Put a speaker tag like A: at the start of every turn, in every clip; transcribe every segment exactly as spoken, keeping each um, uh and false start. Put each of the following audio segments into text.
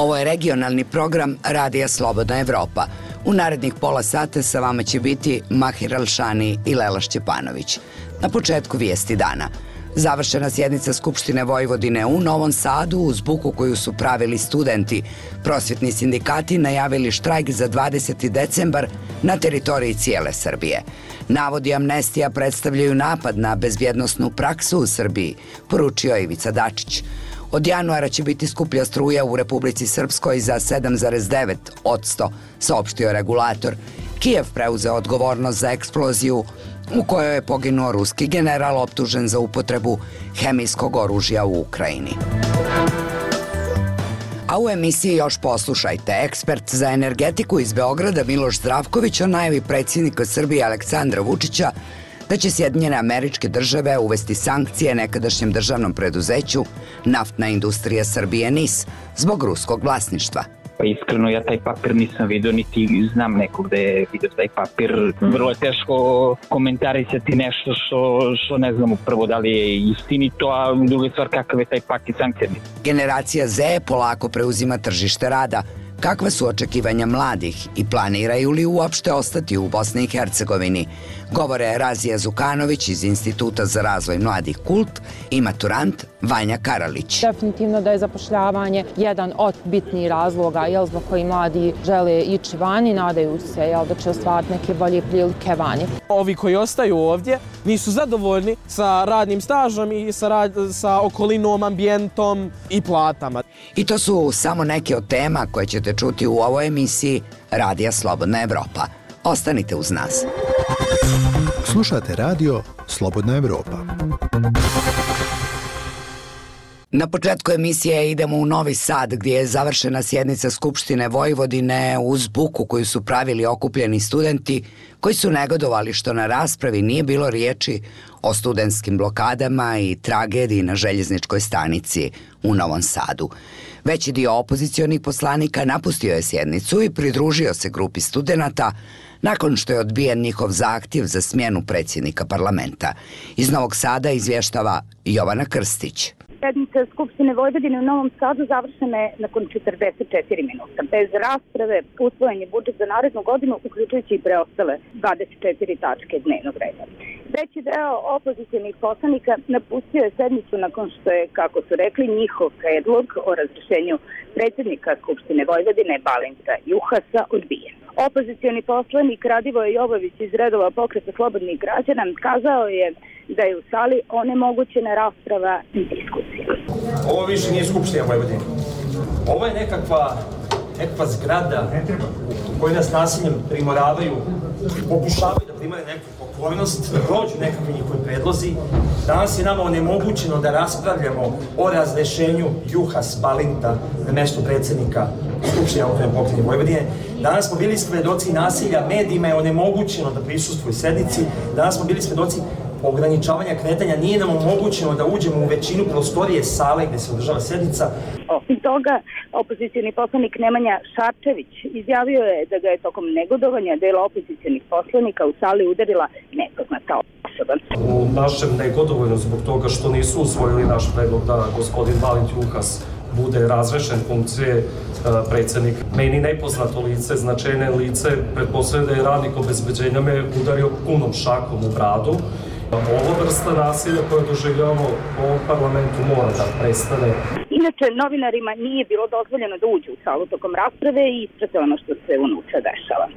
A: Ovo je regionalni program Radija Slobodna Evropa. U narednih pola sata sa vama će biti Mahir Alšani i Lela Šćepanović. Na početku vijesti dana. Završena sjednica Skupštine Vojvodine u Novom Sadu uz buku koju su pravili studenti. Prosvjetni sindikati najavili štrajk za dvadeseti decembar na teritoriji cijele Srbije. Navodi amnestija predstavljaju napad na bezbjednosnu praksu u Srbiji, poručio Ivica Dačić. Od januara će biti skuplja struja u Republici Srpskoj za sedam zarez devet posto, saopštio regulator. Kijev preuzeo odgovornost za eksploziju u kojoj je poginuo ruski general optužen za upotrebu hemijskog oružja u Ukrajini. A u emisiji još poslušajte. Ekspert za energetiku iz Beograda Miloš Zdravković o najavi predsjednika Srbije Aleksandra Vučića da će Sjedinjene Američke Države uvesti sankcije nekadašnjem državnom preduzeću Naftna industrija Srbije N I S zbog ruskog vlasništva.
B: Pa iskreno ja taj papir nisam vidio, niti znam nekog da je vidio taj papir. Vrlo je teško komentarisati nešto što, što ne znamo prvo da li je istinito, a druga stvar kakav je taj paket sankcija.
A: Generacija Z polako preuzima tržište rada. Kakva su očekivanja mladih i planiraju li uopšte ostati u Bosni i Hercegovini? Govore Razija Zukanović iz Instituta za razvoj mladih Kult i maturant Vanja Karalić.
C: Definitivno da je zapošljavanje jedan od bitnijih razloga jel, zbog koji mladi žele ići vani, nadaju se jel, da će ostvariti neke bolje prilike vani.
D: Ovi koji ostaju ovdje nisu zadovoljni sa radnim stažom i sa, rad, sa okolinom, ambijentom i platama.
A: I to su samo neke od tema koje ćete čuti u ovoj emisiji Radija Slobodna Evropa. Ostanite uz nas.
E: Slušate radio Slobodna Evropa.
A: Na početku emisije idemo u Novi Sad gdje je završena sjednica Skupštine Vojvodine uz buku koju su pravili okupljeni studenti koji su negodovali što na raspravi nije bilo riječi o studentskim blokadama i tragediji na željezničkoj stanici u Novom Sadu. Veći dio opozicionih poslanika napustio je sjednicu i pridružio se grupi studenata nakon što je odbijen njihov zahtjev za smjenu predsjednika parlamenta. Iz Novog Sada izvještava Jovana Krstić.
F: Sjednica Skupštine Vojvodine u Novom Sadu završena je nakon četrdeset četiri minuta. Bez rasprave usvojen je budžet za narednu godinu, uključujući i preostale dvadeset četiri tačke dnevnog reda. Veći deo opozicionih poslanika napustio je sednicu nakon što je, kako su rekli, njihov predlog o razrješenju predsjednika Skupštine Vojvodine Balinta Juhasa odbijen. Opozicioni poslanik Radivoje Jovović iz redova Pokreta slobodnih građana kazao je da je u sali onemogućena rasprava i diskusija.
G: Ovo više nije Skupština Vojvodine. Ovo je nekakva, nekakva zgrada u kojoj nas nasiljem primoravaju, pokušavaju da primare neku pokornost, da prođu nekakvi njihovi predlozi. Danas je nama onemogućeno da raspravljamo o razrešenju Juhas Balinta na mjesto predsjednika Skupštine autonomne pokrajine Vojvodine. Danas smo bili svedoci nasilja, medijima je onemogućeno da prisustvuju sednici. Danas smo bili svedoci ograničavanja kretanja, nije nam omogućeno da uđemo u većinu prostorije sale gdje se održava sednica.
F: Osim toga, opozicioni poslanik Nemanja Šarčević izjavio je da ga je tokom negodovanja dela opozicijonih poslanika u sali udarila nepoznata osoba.
H: U našem negodovanju zbog toga što nisu usvojili naš predlog da gospodin Balint Juhas bude razrešen funkcije predsjednik. Meni nepoznato lice, značajne lice, pretpostavljam da je radnik obezbeđenja me udario punom šakom u bradu. Ovo vrsta nasilja koje doživljavamo u ovom parlamentu mora da prestane.
F: Inače, novinarima nije bilo dozvoljeno da uđu u salu tokom rasprave i isprate ono što se unutra dešava.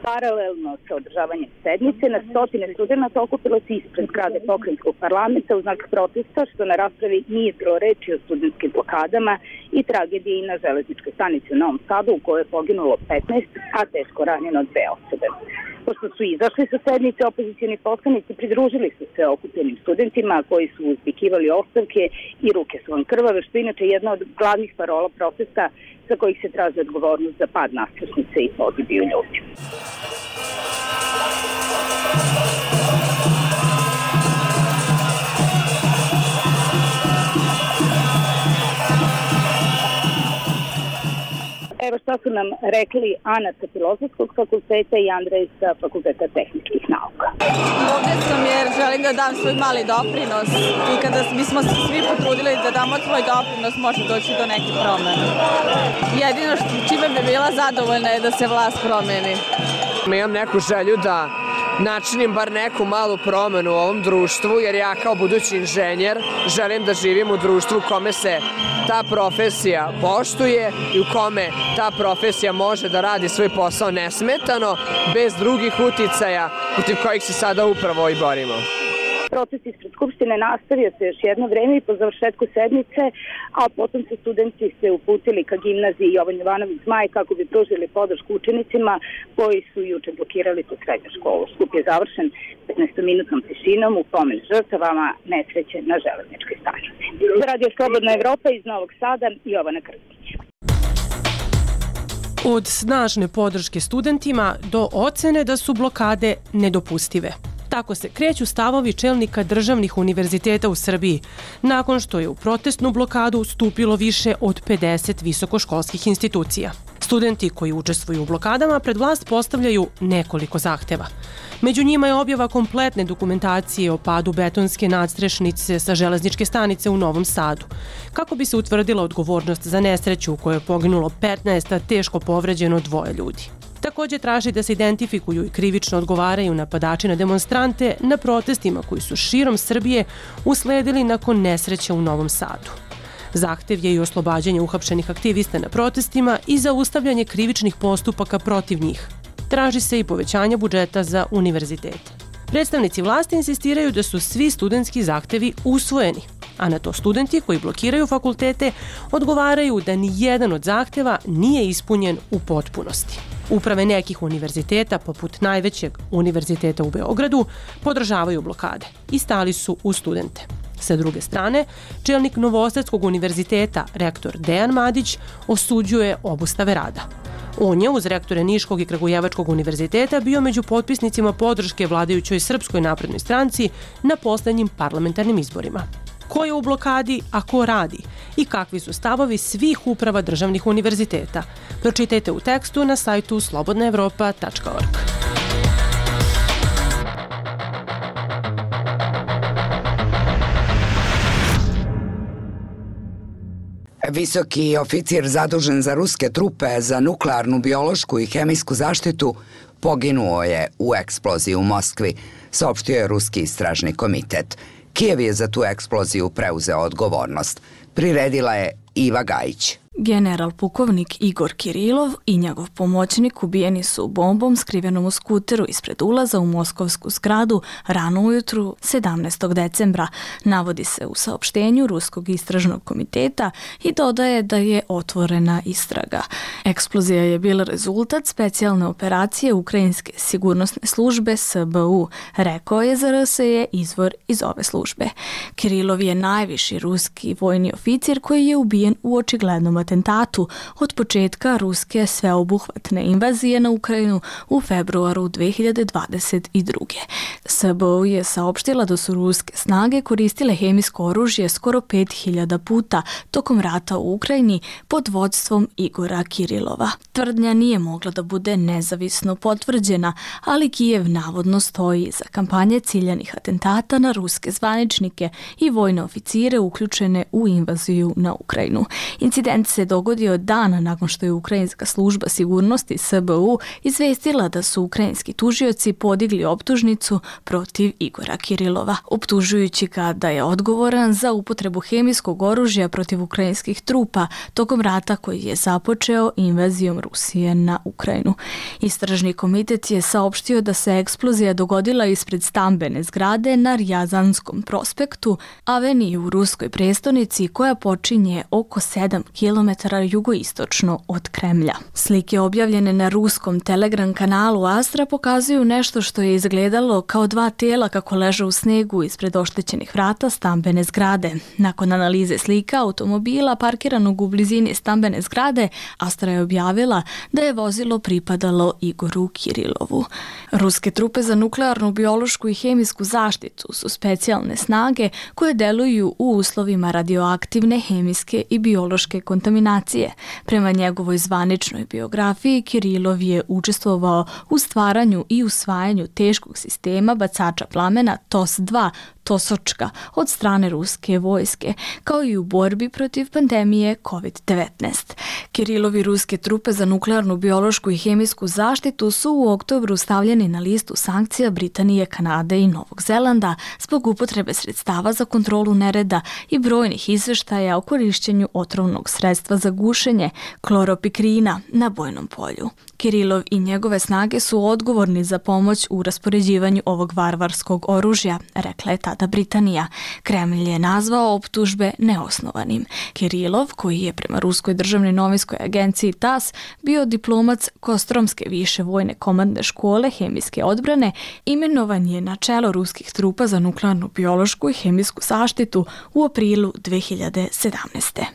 F: Paralelno sa održavanjem sednice, na stotine studenta okupilo se ispred zgrade pokrajinskog parlamenta u znak protesta što na raspravi nije bilo reči o studentskim blokadama i tragediji na železničkoj stanici u Novom Sadu u kojoj je poginulo petnaest, a teško ranjeno dve osobe. Pošto su izašli sa sednice, opozicioni poslanici pridružili su se okupljenim studentima koji su uzvikivali ostavke i ruke su vam krvave, što je inače jedna od glavnih parola protesta za kojih se traži odgovornost za pad nadstrešnice i pogibiju ljudi. Evo šta su nam rekli Ana sa Filozofskog fakulteta i Andrej sa Fakulteta tehničkih nauka.
I: Ovdje sam jer želim da dam svoj mali doprinos i kada bismo se svi potrudili da damo svoj doprinos može doći do nekih promjena. Jedino što, čime bi bila zadovoljna je da se vlast promeni.
J: Imam neku želju da načinim bar neku malu promenu u ovom društvu, jer ja kao budući inženjer želim da živim u društvu u kome se ta profesija poštuje i u kome ta profesija može da radi svoj posao nesmetano, bez drugih uticaja protiv kojih se sada upravo i borimo.
F: Proces ispred Skupštine nastavio se još jedno vreme i po završetku sednice, a potom su studenti se uputili ka gimnaziji Jovan Jovanović Zmaj kako bi pružili podršku učenicima koji su juče blokirali tu srednju školu. Skup je završen petnaestominutnom tišinom u pomen žrtvama nesreće na železničkoj stanici. Za Radio Slobodna Evropa iz Novog Sada, Jovana Krstić.
K: Od snažne podrške studentima do ocene da su blokade nedopustive. Tako se kreću stavovi čelnika državnih univerziteta u Srbiji, nakon što je u protestnu blokadu stupilo više od pedeset visokoškolskih institucija. Studenti koji učestvuju u blokadama pred vlast postavljaju nekoliko zahteva. Među njima je objava kompletne dokumentacije o padu betonske nadstrešnice sa železničke stanice u Novom Sadu, kako bi se utvrdila odgovornost za nesreću u kojoj je poginulo petnaest, a teško povređeno dvoje ljudi. Također traži da se identifikuju i krivično odgovaraju napadači na demonstrante na protestima koji su širom Srbije usledili nakon nesreće u Novom Sadu. Zahtev je i oslobađanje uhapšenih aktivista na protestima i zaustavljanje krivičnih postupaka protiv njih. Traži se i povećanje budžeta za univerzitete. Predstavnici vlasti insistiraju da su svi studentski zahtevi usvojeni, a na to studenti koji blokiraju fakultete odgovaraju da ni jedan od zahteva nije ispunjen u potpunosti. Uprave nekih univerziteta, poput najvećeg univerziteta u Beogradu, podržavaju blokade i stali su uz studente. Sa druge strane, čelnik Novosadskog univerziteta, rektor Dejan Madić, osuđuje obustave rada. On je uz rektore Niškog i Kragujevačkog univerziteta bio među potpisnicima podrške vladajućoj Srpskoj naprednoj stranci na poslednjim parlamentarnim izborima. Ko je u blokadi, a ko radi i kakvi su stavovi svih uprava državnih univerziteta? Pročitajte u tekstu na sajtu slobodna evropa tačka org.
A: Visoki oficir zadužen za ruske trupe za nuklearnu, biološku i hemijsku zaštitu poginuo je u eksploziji u Moskvi, saopštio je Ruski istražni komitet. Kijev je za tu eksploziju preuzeo odgovornost. Priredila je Iva Gajić.
L: General pukovnik Igor Kirilov i njegov pomoćnik ubijeni su bombom skrivenom u skuteru ispred ulaza u moskovsku zgradu rano ujutru sedamnaestog decembra, navodi se u saopštenju Ruskog istražnog komiteta i dodaje da je otvorena istraga. Eksplozija je bila rezultat specijalne operacije Ukrajinske sigurnosne službe S B U, rekao je za R S je izvor iz ove službe. Kirilov je najviši ruski vojni oficir koji je ubijen u očiglednom atentatu od početka ruske sveobuhvatne invazije na Ukrajinu u februaru dve hiljade dvadeset druge. S B U je saopštila da su ruske snage koristile hemijsko oružje skoro pet hiljada puta tokom rata u Ukrajini pod vodstvom Igora Kirilova. Tvrdnja nije mogla da bude nezavisno potvrđena, ali Kijev navodno stoji iza kampanje ciljanih atentata na ruske zvaničnike i vojne oficire uključene u invaziju na Ukrajinu. Incident se dogodio dan nakon što je Ukrajinska služba sigurnosti S B U izvestila da su ukrajinski tužioci podigli optužnicu protiv Igora Kirilova, optužujući ga da je odgovoran za upotrebu hemijskog oružja protiv ukrajinskih trupa tokom rata koji je započeo invazijom Rusije na Ukrajinu. Istražni komitet je saopštio da se eksplozija dogodila ispred stambene zgrade na Rjazanskom prospektu, aveniji u ruskoj prestonici koja počinje oko sedam kilometara jugoistočno od Kremlja. Slike objavljene na ruskom Telegram kanalu Astra pokazuju nešto što je izgledalo kao dva tela kako leže u snegu ispred oštećenih vrata stambene zgrade. Nakon analize slika automobila parkiranog u blizini stambene zgrade, Astra je objavila da je vozilo pripadalo Igoru Kirilovu. Ruske trupe za nuklearnu, biološku i hemijsku zaštitu su specijalne snage koje deluju u uslovima radioaktivne, hemijske i biološke kontaminacije diskriminacije. Prema njegovoj zvaničnoj biografiji, Kirilov je učestvovao u stvaranju i usvajanju teškog sistema bacača plamena T O S dva, Tosočka, od strane ruske vojske, kao i u borbi protiv pandemije kovid devetnaest. Kirilovi ruske trupe za nuklearnu, biološku i hemijsku zaštitu su u oktobru stavljeni na listu sankcija Britanije, Kanade i Novog Zelanda zbog upotrebe sredstava za kontrolu nereda i brojnih izveštaja o korišćenju otrovnog sredstva za gušenje, kloropikrina, na bojnom polju. Kirilov i njegove snage su odgovorni za pomoć u raspoređivanju ovog varvarskog oružja, rekla je tada Britanija. Kremlj je nazvao optužbe neosnovanim. Kirilov, koji je prema ruskoj državnoj novinskoj agenciji T A S bio diplomac Kostromske više vojne komandne škole hemijske odbrane, imenovan je na čelo ruskih trupa za nuklearnu, biološku i hemijsku zaštitu u aprilu dve hiljade sedamnaeste.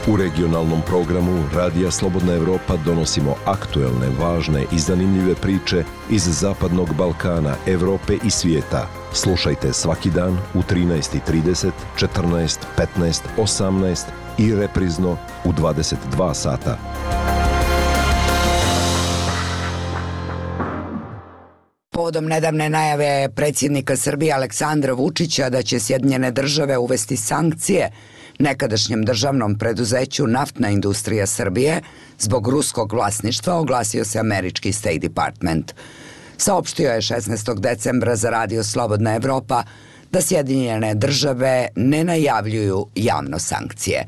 M: U regionalnom programu Radija Slobodna Evropa donosimo aktuelne, važne i zanimljive priče iz Zapadnog Balkana, Evrope i svijeta. Slušajte svaki dan u trinaest i trideset, četrnaest, petnaest, osamnaest i reprizno u dvadeset dva sata.
A: Povodom nedavne najave predsjednika Srbije Aleksandra Vučića da će Sjedinjene države uvesti sankcije nekadašnjem državnom preduzeću Naftna industrija Srbije zbog ruskog vlasništva, oglasio se američki State Department. Saopštio je šesnaestog decembra za Radio Slobodna Evropa da Sjedinjene države ne najavljuju javno sankcije.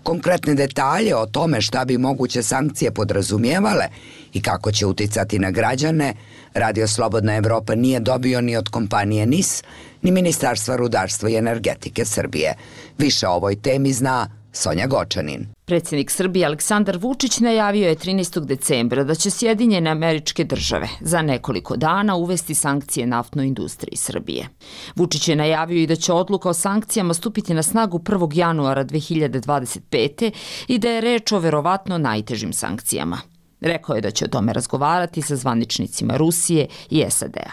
A: Konkretne detalje o tome šta bi moguće sankcije podrazumijevale i kako će uticati na građane, Radio Slobodna Evropa nije dobio ni od kompanije N I S, ni Ministarstva rudarstva i energetike Srbije. Više o ovoj temi zna Sonja Gočanin.
N: Predsjednik Srbije Aleksandar Vučić najavio je trinaestog decembra da će Sjedinjene Američke Države za nekoliko dana uvesti sankcije naftnoj industriji Srbije. Vučić je najavio i da će odluka o sankcijama stupiti na snagu prvog januara dve hiljade dvadeset pete. i da je reč o verovatno najtežim sankcijama. Rekao je da će o tome razgovarati sa zvaničnicima Rusije i S A D-a.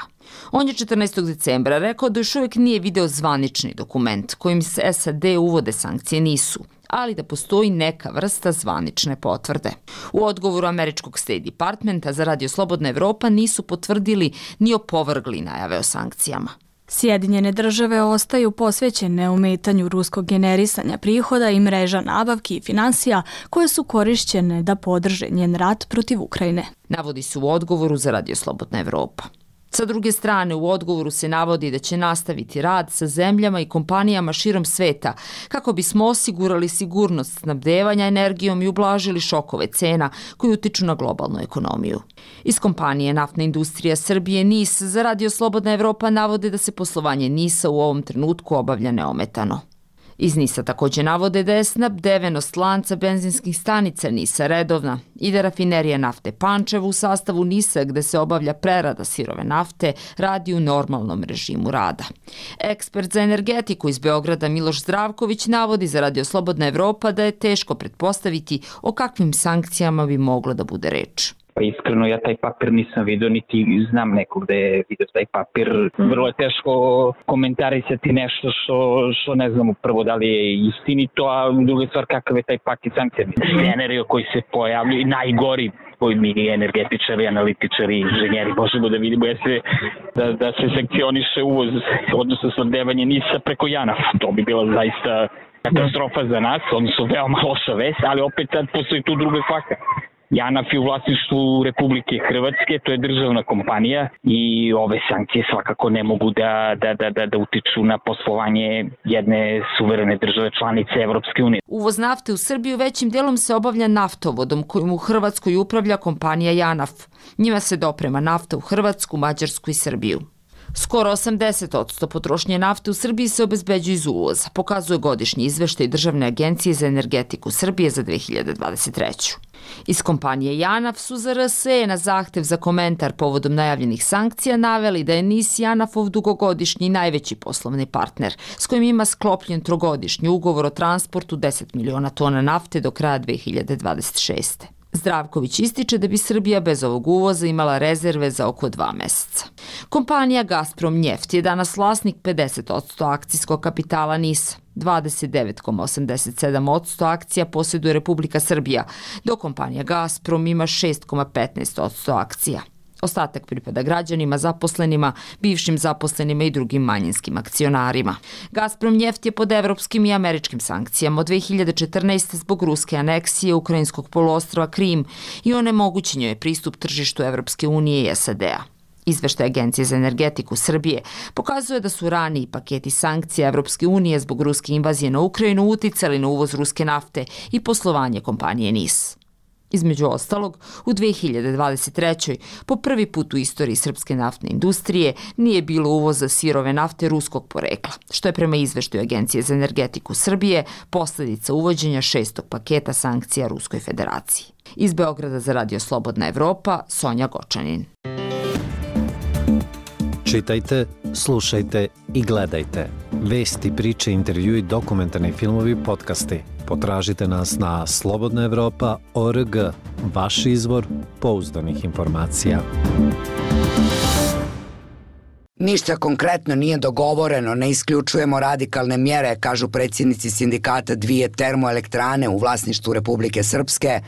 N: On je četrnaestog decembra rekao da još uvijek nije video zvanični dokument kojim se S A D uvode sankcije nisu, ali da postoji neka vrsta zvanične potvrde. U odgovoru američkog State Departmenta za Radio Slobodna Evropa nisu potvrdili ni opovrgli najave o sankcijama.
L: Sjedinjene države ostaju posvećene ometanju ruskog generisanja prihoda i mreža nabavki i finansija koje su korišćene da podrže njen rat protiv Ukrajine.
N: Navodi se u odgovoru za Radio Slobodna Evropa. Sa druge strane, u odgovoru se navodi da će nastaviti rad sa zemljama i kompanijama širom sveta kako bismo osigurali sigurnost snabdevanja energijom i ublažili šokove cena koji utiču na globalnu ekonomiju. Iz kompanije Naftna industrija Srbije N I S za Radio Slobodna Evropa navode da se poslovanje N I S-a u ovom trenutku obavlja neometano. Iz N I S-a također navode da je snabdevenost lanca benzinskih stanica N I S-a redovna i da rafinerija nafte Pančevo u sastavu N I S-a gde se obavlja prerada sirove nafte radi u normalnom režimu rada. Ekspert za energetiku iz Beograda Miloš Zdravković navodi za Radio Slobodna Evropa da je teško pretpostaviti o kakvim sankcijama bi moglo da bude reč.
B: Pa iskreno ja taj papir nisam vidio, niti znam nekog da je vidio taj papir. Vrlo je teško komentarisati nešto što, što ne znamo prvo da li je istinito, a druga stvar kakav je taj paket sankcija. Scenario koji se pojavljaju, najgori koji mi energetičari, analitičari, inženjeri možemo da vidimo je se, da, da se sankcioniše uvoz, odnosno snabdevanje N I S-a preko JANAF. To bi bila zaista katastrofa za nas, odnosno veoma loša vest, ali opet sad postoji tu druga kvaka. JANAF je u vlasništvu Republike Hrvatske, to je državna kompanija i ove sankcije svakako ne mogu da, da, da, da, da utiču na poslovanje jedne suverene države članice Evropske unije.
N: Uvoz nafte u Srbiju većim dijelom se obavlja naftovodom kojim u Hrvatskoj upravlja kompanija JANAF. Njima se doprema nafta u Hrvatsku, Mađarsku i Srbiju. Skoro osamdeset posto potrošnje nafte u Srbiji se obezbeđuje iz uvoza, pokazuje godišnji izveštaj Državne agencije za energetiku Srbije za dve hiljade dvadeset treću. Iz kompanije JANAF su za R S E na zahtev za komentar povodom najavljenih sankcija naveli da je N I S JANAF-ov dugogodišnji i najveći poslovni partner, s kojim ima sklopljen trogodišnji ugovor o transportu deset miliona tona nafte do kraja dve hiljade dvadeset šeste. Zdravković ističe da bi Srbija bez ovog uvoza imala rezerve za oko dva meseca. Kompanija Gazprom Njeft je danas vlasnik pedeset posto akcijskog kapitala NIS-a. dvadeset devet zarez osamdeset sedam posto akcija posjeduje Republika Srbija, dok kompanija Gazprom ima šest zarez petnaest posto akcija. Ostatak pripada građanima, zaposlenima, bivšim zaposlenima i drugim manjinskim akcionarima. Gazprom Njeft je pod evropskim i američkim sankcijama od dve hiljade četrnaeste. zbog ruske aneksije ukrajinskog poluostrva Krim i onemogućen je pristup tržištu Evropske unije i S A D-a. Izveštaj Agencije za energetiku Srbije pokazuje da su raniji paketi sankcija Evropske unije zbog ruske invazije na Ukrajinu uticali na uvoz ruske nafte i poslovanje kompanije NIS. Između ostalog, u dve hiljade dvadeset trećoj. po prvi put u istoriji srpske naftne industrije nije bilo uvoza sirove nafte ruskog porekla, što je prema izveštaju Agencije za energetiku Srbije posljedica uvođenja šestog paketa sankcija Ruskoj federaciji. Iz Beograda za Radio Slobodna Evropa, Sonja Gočanin.
O: Čitajte, slušajte i gledajte. Vesti, priče, intervjui, dokumentarni filmovi, podcasti. Potražite nas na slobodna evropa tačka org, vaš izvor pouzdanih informacija.
A: Ništa konkretno nije dogovoreno, ne isključujemo radikalne mjere, kažu predsjednici sindikata dvije termoelektrane u vlasništvu Republike Srpske,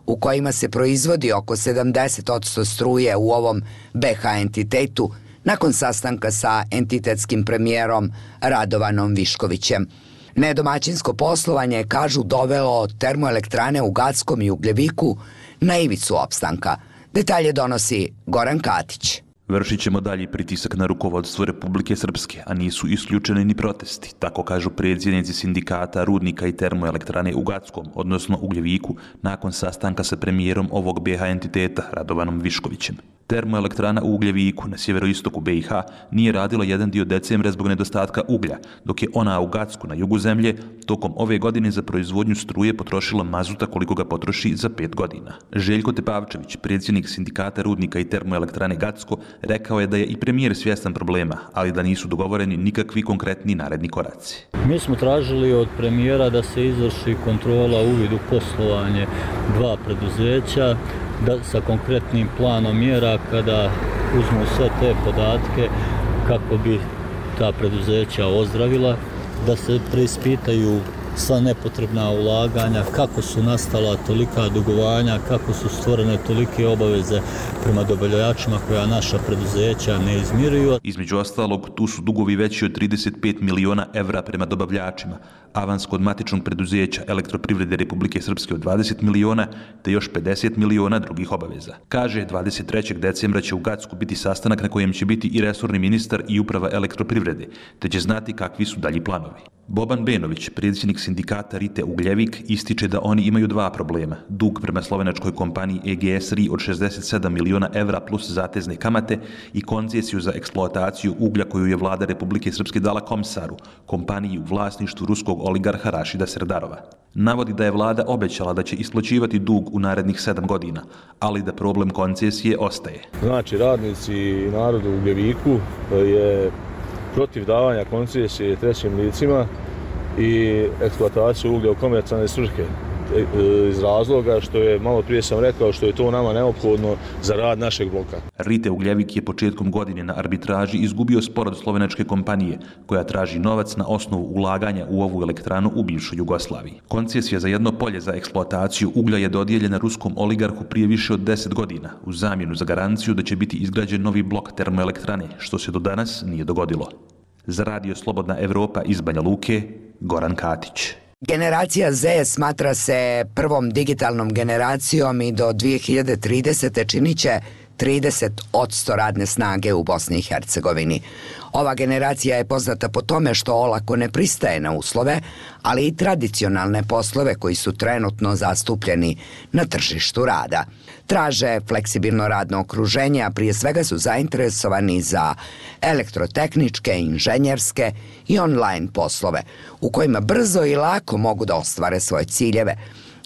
A: u kojima se proizvodi oko sedamdeset posto struje u ovom B H entitetu, nakon sastanka sa entitetskim premijerom Radovanom Viškovićem. Nedomaćinsko poslovanje, kažu, dovelo termoelektrane u Gackom i Ugljeviku na ivicu opstanka. Detalje donosi Goran Katić.
P: Vršit ćemo dalji pritisak na rukovodstvo Republike Srpske, a nisu isključeni ni protesti, tako kažu predsjednici sindikata rudnika i termoelektrane u Gackom, odnosno Ugljeviku, nakon sastanka sa premijerom ovog B H entiteta Radovanom Viškovićem. Termoelektrana u Ugljeviku na sjeveroistoku B i H nije radila jedan dio decembra zbog nedostatka uglja, dok je ona u Gacku na jugu zemlje tokom ove godine za proizvodnju struje potrošila mazuta koliko ga potroši za pet godina. Željko Tepavčević, predsjednik sindikata rudnika i termoelektrane Gacko, rekao je da je i premijer svjestan problema, ali da nisu dogovoreni nikakvi konkretni naredni koraci.
Q: Mi smo tražili od premijera da se izvrši kontrola uvid u poslovanje dva preduzeća, da sa konkretnim planom mjera kada uzmu sve te podatke kako bi ta preduzeća ozdravila, da se preispitaju sva nepotrebna ulaganja, kako su nastala tolika dugovanja, kako su stvorene tolike obaveze prema dobavljačima koja naša preduzeća ne izmiruju.
P: Između ostalog, tu su dugovi veći od trideset pet miliona evra prema dobavljačima, avans kod matičnog preduzeća Elektroprivrede Republike Srpske od dvadeset miliona, te još pedeset miliona drugih obaveza. Kaže, dvadeset trećeg decembra će u Gacku biti sastanak na kojem će biti i resorni ministar i uprava Elektroprivrede, te će znati kakvi su dalji planovi. Boban Benović, predsjednik sindikata Rite Ugljevik, ističe da oni imaju dva problema. Dug prema slovenačkoj kompaniji E G S R I od šezdeset sedam miliona evra plus zatezne kamate i koncesiju za eksploataciju uglja koju je vlada Republike Srpske dala Komsaru, kompaniji u vlasništvu ruskog oligarha Rašida Serdarova. Navodi da je vlada obećala da će isplaćivati dug u narednih sedam godina, ali da problem koncesije ostaje.
R: Znači, radnici i narod u Ugljeviku je protiv davanja koncesije trećim licima i eksploataciju uglja u komercijalne svrhe, iz razloga što je, malo prije sam rekao, što je to nama neophodno za rad našeg bloka.
P: Rite Ugljevik je početkom godine na arbitraži izgubio spor od slovenačke kompanije, koja traži novac na osnovu ulaganja u ovu elektranu u bivšoj Jugoslaviji. Koncesija za jedno polje za eksploataciju uglja je dodijeljena ruskom oligarhu prije više od deset godina, u zamjenu za garanciju da će biti izgrađen novi blok termoelektrane, što se do danas nije dogodilo. Za Radio Slobodna Evropa iz Banja Luke, Goran Katić.
A: Generacija Z smatra se prvom digitalnom generacijom i do dvije hiljade tridesete. činit će trideset posto radne snage u Bosni i Hercegovini. Ova generacija je poznata po tome što olako ne pristaje na uslove, ali i tradicionalne poslove koji su trenutno zastupljeni na tržištu rada. Traže fleksibilno radno okruženje, a prije svega su zainteresovani za elektrotehničke, inženjerske i online poslove, u kojima brzo i lako mogu da ostvare svoje ciljeve.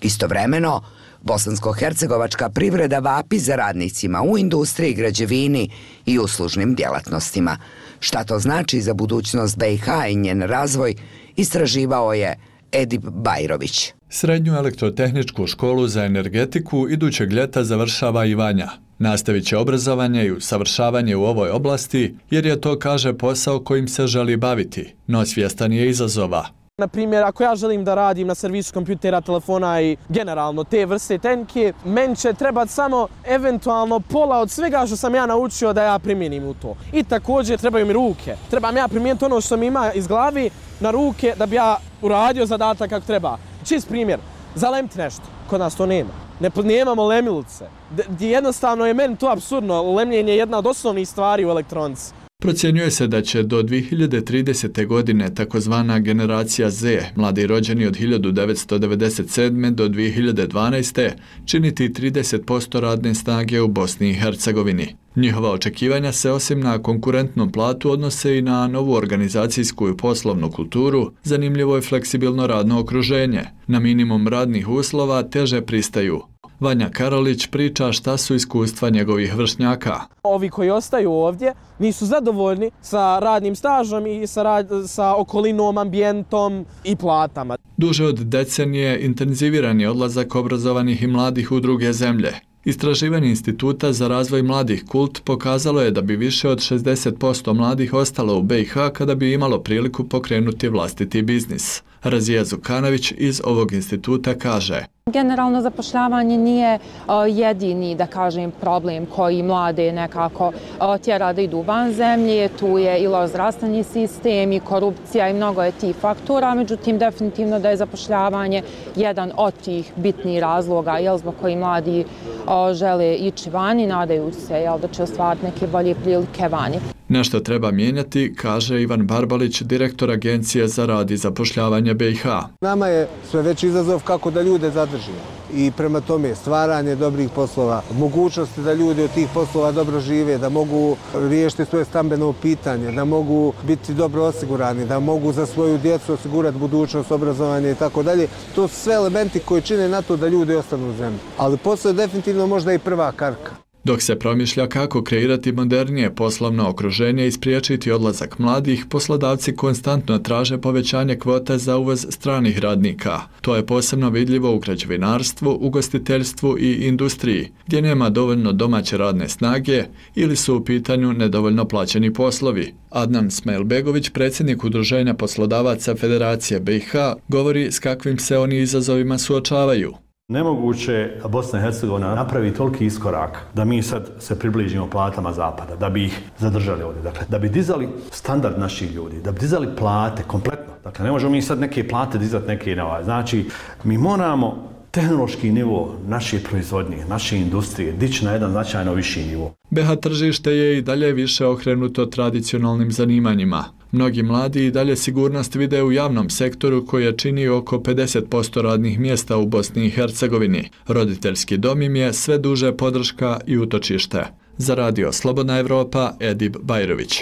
A: Istovremeno, bosansko-hercegovačka privreda vapi za radnicima u industriji, građevini i uslužnim djelatnostima. Šta to znači za budućnost B i H i njen razvoj, istraživao je Edip Bajrović.
S: Srednju elektrotehničku školu za energetiku idućeg ljeta završava i Vanja. Nastavit će obrazovanje i usavršavanje u ovoj oblasti jer je to, kaže, posao kojim se želi baviti, no svjestan je izazova.
D: Na primjer, ako ja želim da radim na servisu kompjutera, telefona i generalno te vrste tehnike, meni će trebati samo eventualno pola od svega što sam ja naučio da ja primjenim u to. I također trebaju mi ruke. Trebam ja primijeniti ono što mi ima iz glavi na ruke da bi ja uradio zadatak kako treba. Čist primjer, zalemiti nešto. Kod nas to nema. Ne, nemamo lemilice. D- jednostavno je meni to apsurdno. Lemljenje je jedna od osnovnih stvari u elektronici.
S: Procjenjuje se da će do dvije hiljade tridesete. godine takozvana generacija Z, mladi rođeni od hiljadu devetsto devedeset sedme. do dvije hiljade dvanaeste. činiti trideset posto radne snage u Bosni i Hercegovini. Njihova očekivanja se osim na konkurentnom platu odnose i na novu organizacijsku i poslovnu kulturu, zanimljivo je fleksibilno radno okruženje. Na minimum radnih uslova teže pristaju. Vanja Karolić priča šta su iskustva njegovih vršnjaka.
D: Ovi koji ostaju ovdje nisu zadovoljni sa radnim stažom i sa, rad, sa okolinom, ambijentom i platama.
S: Duže od decenije intenziviran je odlazak obrazovanih i mladih u druge zemlje. Istraživanje Instituta za razvoj mladih Kult pokazalo je da bi više od šezdeset posto mladih ostalo u B i H kada bi imalo priliku pokrenuti vlastiti biznis. Razija Zukanović iz ovog instituta kaže:
C: Generalno zapošljavanje nije uh, jedini, da kažem, problem koji mlade nekako uh, tjera da idu van zemlje. Tu je i loš zdravstveni sistem i korupcija i mnogo je tih faktora, međutim definitivno da je zapošljavanje jedan od tih bitnih razloga, jel, zbog koji mladi uh, žele ići vani, nadaju se, jel, da će ostvariti neke bolje prilike vani.
S: Nešto treba mijenjati, kaže Ivan Barbalić, direktor Agencije za rad i zapošljavanje B i H.
T: Nama je sve veći izazov kako da ljude zadržimo i prema tome stvaranje dobrih poslova, mogućnosti da ljudi od tih poslova dobro žive, da mogu riješiti svoje stambeno pitanje, da mogu biti dobro osigurani, da mogu za svoju djecu osigurati budućnost, obrazovanje i tako dalje. To su sve elementi koji čine na to da ljudi ostanu u zemlji. Ali posao je definitivno možda i prva karka.
S: Dok se promišlja kako kreirati modernije poslovno okruženje i spriječiti odlazak mladih, poslodavci konstantno traže povećanje kvote za uvoz stranih radnika. To je posebno vidljivo u građevinarstvu, ugostiteljstvu i industriji, gdje nema dovoljno domaće radne snage ili su u pitanju nedovoljno plaćeni poslovi. Adnan Smailbegović, predsjednik Udruženja poslodavaca Federacije B i H, govori s kakvim se oni izazovima suočavaju.
U: Nemoguće Bosna i Hercegovina napravi toliki iskorak da mi sad se približimo platama zapada, da bi ih zadržali ovdje. Dakle, da bi dizali standard naših ljudi, da bi dizali plate kompletno. Dakle, ne možemo mi sad neke plate dizati, neke nova. Znači, mi moramo tehnološki nivo naše proizvodnje, naše industrije dići na jedan značajno viši nivo.
S: B i H tržište je i dalje više okrenuto tradicionalnim zanimanjima. Mnogi mladi i dalje sigurnost vide u javnom sektoru koja čini oko pedeset posto radnih mjesta u Bosni i Hercegovini. Roditeljski dom im je sve duže podrška i utočište. Za radio Slobodna Evropa, Edip Bajrović.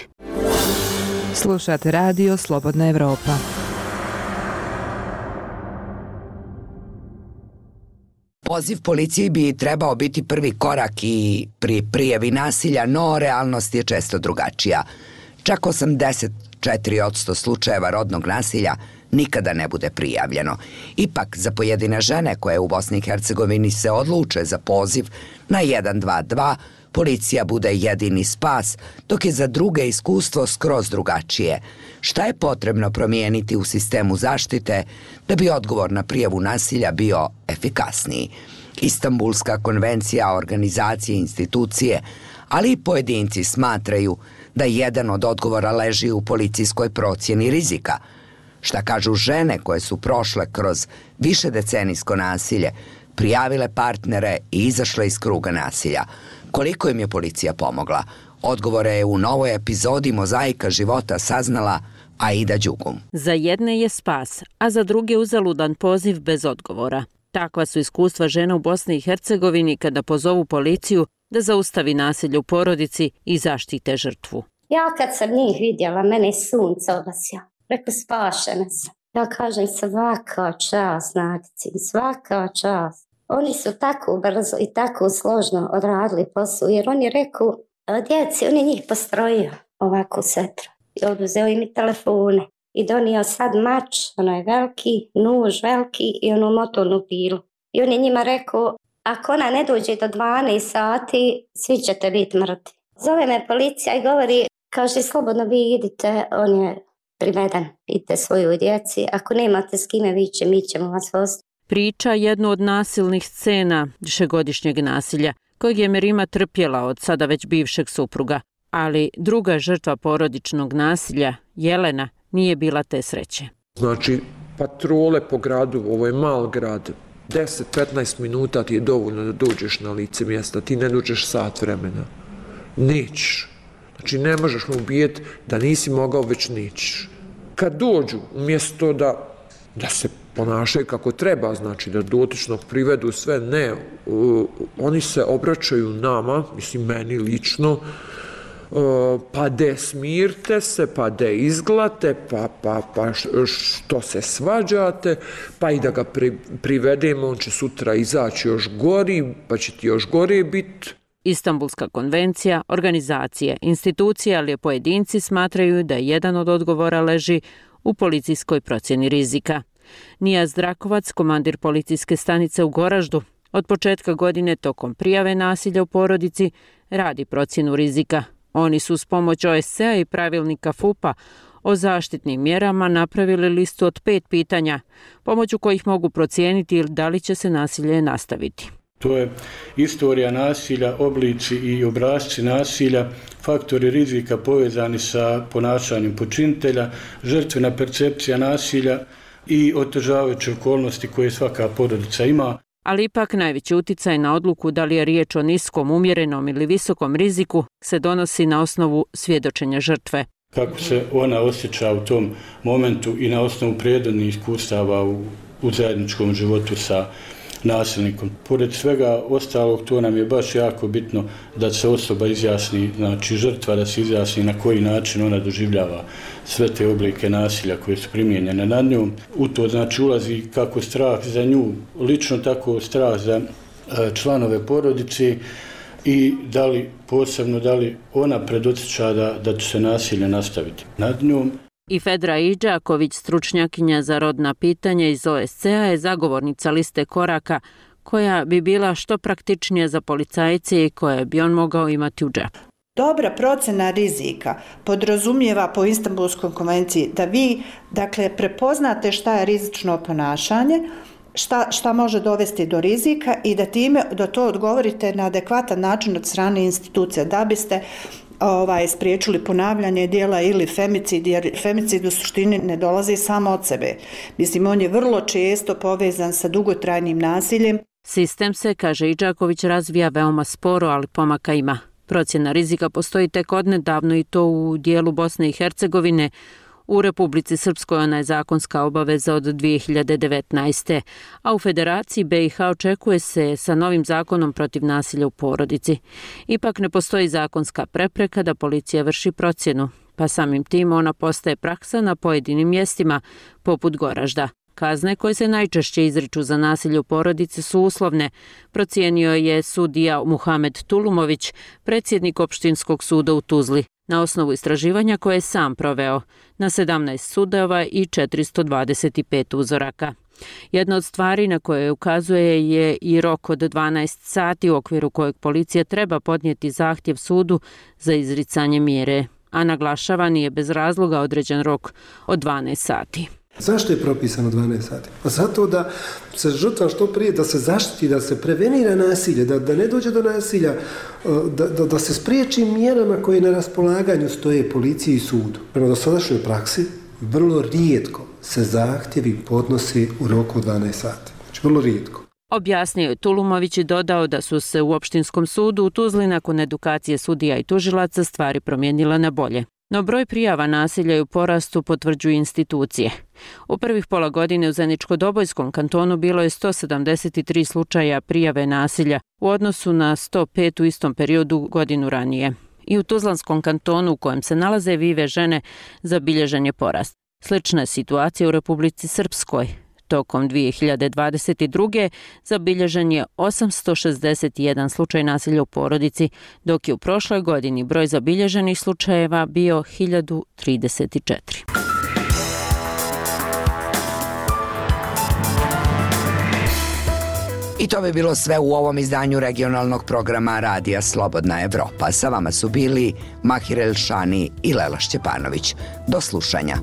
V: Slušate radio Slobodna Evropa.
A: Poziv policiji bi trebao biti prvi korak i pri prijavi nasilja, no realnost je često drugačija. Čak osamdeset četiri posto slučajeva rodnog nasilja nikada ne bude prijavljeno. Ipak, za pojedine žene koje u Bosni i Hercegovini se odluče za poziv na jedan dva dva, policija bude jedini spas, dok je za druge iskustvo skroz drugačije. Šta je potrebno promijeniti u sistemu zaštite da bi odgovor na prijavu nasilja bio efikasniji? Istanbulska konvencija, organizacije, institucije, ali i pojedinci smatraju da jedan od odgovora leži u policijskoj procjeni rizika. Šta kažu žene koje su prošle kroz višedecenijsko nasilje, prijavile partnere i izašle iz kruga nasilja? Koliko im je policija pomogla? Odgovore je u novoj epizodi Mozaika života saznala Aida Đugum.
W: Za jedne je spas, a za druge uzaludan poziv bez odgovora. Takva su iskustva žena u Bosni i Hercegovini kada pozovu policiju da zaustavi nasilje u porodici i zaštite žrtvu.
X: Ja kad sam njih vidjela, mene je sunce obasja. Rekla, spašena sam. Ja kažem, svaka čast, Nadici, svaka čast. Oni su tako brzo i tako složno odradili posao, jer oni reku, djeci, oni njih postrojio ovako setru. I oduzeo im i telefone. I donio sad mač, ono je veliki, nuž veliki i onu motornu pilu. I on je njima rekao, ako ona ne dođe do dvanaest sati, svi ćete biti mrtvi. Zove me policija i govori, kaže, slobodno vi idite, on je priveden, idite svoju djeci, ako nemate s kime viće, mi ćemo vas voziti.
W: Priča jednu od nasilnih scena višegodišnjeg nasilja, kojeg je Merima trpjela od sada već bivšeg supruga. Ali druga žrtva porodičnog nasilja, Jelena, nije bila te sreće.
E: Znači, patrole po gradu, ovo je mal grad, deset do petnaest minuta ti je dovoljno da dođeš na lice mjesta, ti ne dođeš sat vremena. Nećeš. Znači, ne možeš mu ubijeti da nisi mogao, već nećeš. Kad dođu, umjesto da, da se ponašaju kako treba, znači da dotičnog privedu sve, ne, uh, oni se obraćaju nama, mislim meni lično, uh, pa de smirte se, pa de izglate, pa, pa, pa što se svađate, pa i da ga pri, privedemo, on će sutra izaći još gori, pa će ti još gore biti.
W: Istanbulska konvencija, organizacije, institucije, ali i pojedinci smatraju da jedan od odgovora leži u policijskoj procjeni rizika. Nijaz Drakovac, komandir policijske stanice u Goraždu, od početka godine tokom prijave nasilja u porodici radi procjenu rizika. Oni su s pomoć O S C-a i pravilnika F U P-a o zaštitnim mjerama napravili listu od pet pitanja, pomoću kojih mogu procijeniti da li će se nasilje nastaviti.
G: To je istorija nasilja, oblici i obrasci nasilja, faktori rizika povezani sa ponašanjem počinitelja, žrtvena percepcija nasilja i otežavajuće okolnosti koje svaka porodica ima.
W: Ali ipak najveći uticaj na odluku da li je riječ o niskom, umjerenom ili visokom riziku se donosi na osnovu svjedočenja žrtve.
G: Kako se ona osjeća u tom momentu i na osnovu prirodnih iskustava u, u zajedničkom životu sa nasilnikom. Pored svega ostalog, to nam je baš jako bitno da se osoba izjasni, znači žrtva da se izjasni na koji način ona doživljava sve te oblike nasilja koje su primijenjene nad njom. U to znači ulazi kako strah za nju, lično tako strah za članove porodice i da li posebno da li ona predosjeća da, da će se nasilje nastaviti nad njom.
W: I Fedra Iđaković, stručnjakinja za rodna pitanja iz O S C-a, je zagovornica liste koraka koja bi bila što praktičnija za policajce i koje bi on mogao imati u džepu.
H: Dobra procena rizika podrazumijeva po Istanbulskoj konvenciji da vi, dakle, prepoznate šta je rizično ponašanje, šta, šta može dovesti do rizika i da time da to odgovorite na adekvatan način od strane institucija, da biste ovaj, spriječili ponavljanje dijela ili femicid, jer femicid u suštini ne dolazi samo od sebe. Mislim, on je vrlo često povezan sa dugotrajnim nasiljem.
W: Sistem se, kaže Iđaković, razvija veoma sporo, ali pomaka ima. Procjena rizika postoji tek odnedavno i to u dijelu Bosne i Hercegovine. U Republici Srpskoj ona je zakonska obaveza od dvije hiljade devetnaeste. a u Federaciji B i H očekuje se sa novim zakonom protiv nasilja u porodici. Ipak ne postoji zakonska prepreka da policija vrši procjenu, pa samim tim ona postaje praksa na pojedinim mjestima, poput Goražda. Kazne koje se najčešće izriču za nasilje u porodici su uslovne, procijenio je sudija Muhamed Tulumović, predsjednik opštinskog suda u Tuzli, na osnovu istraživanja koje je sam proveo na sedamnaest sudova i četiristo dvadeset pet uzoraka. Jedna od stvari na koje ukazuje je i rok od dvanaest sati u okviru kojeg policija treba podnijeti zahtjev sudu za izricanje mjere, a naglašava nije bez razloga određen rok od dvanaest sati.
I: Zašto je propisano dvanaest sati? Pa zato da se žrtva što prije, da se zaštiti, da se prevenira nasilje, da, da ne dođe do nasilja, da, da, da se spriječi mjerama koje na raspolaganju stoje policiji i sudu. Prema dosadašnjoj praksi, vrlo rijetko se zahtjevi podnosi u roku dvanaest sati. Znači, vrlo rijetko.
W: Objasnio je Tulumović i dodao da su se u opštinskom sudu u Tuzli nakon edukacije sudija i tužilaca stvari promijenile na bolje. No broj prijava nasilja i u porastu potvrđuju institucije. U prvih pola godine u Zeničko-Dobojskom kantonu bilo je sto sedamdeset tri slučaja prijave nasilja u odnosu na sto pet u istom periodu godinu ranije. I u Tuzlanskom kantonu u kojem se nalaze vive žene zabilježen je porast. Slična je situacija u Republici Srpskoj. Tokom dvije hiljade dvadeset druge zabilježen je osamsto šezdeset jedan slučaj nasilja u porodici, dok je u prošloj godini broj zabilježenih slučajeva bio hiljadu trideset četiri.
A: I to bi bilo sve u ovom izdanju regionalnog programa Radija Slobodna Evropa. Sa vama su bili Mahir Elšani i Lela Šćepanović. Do slušanja.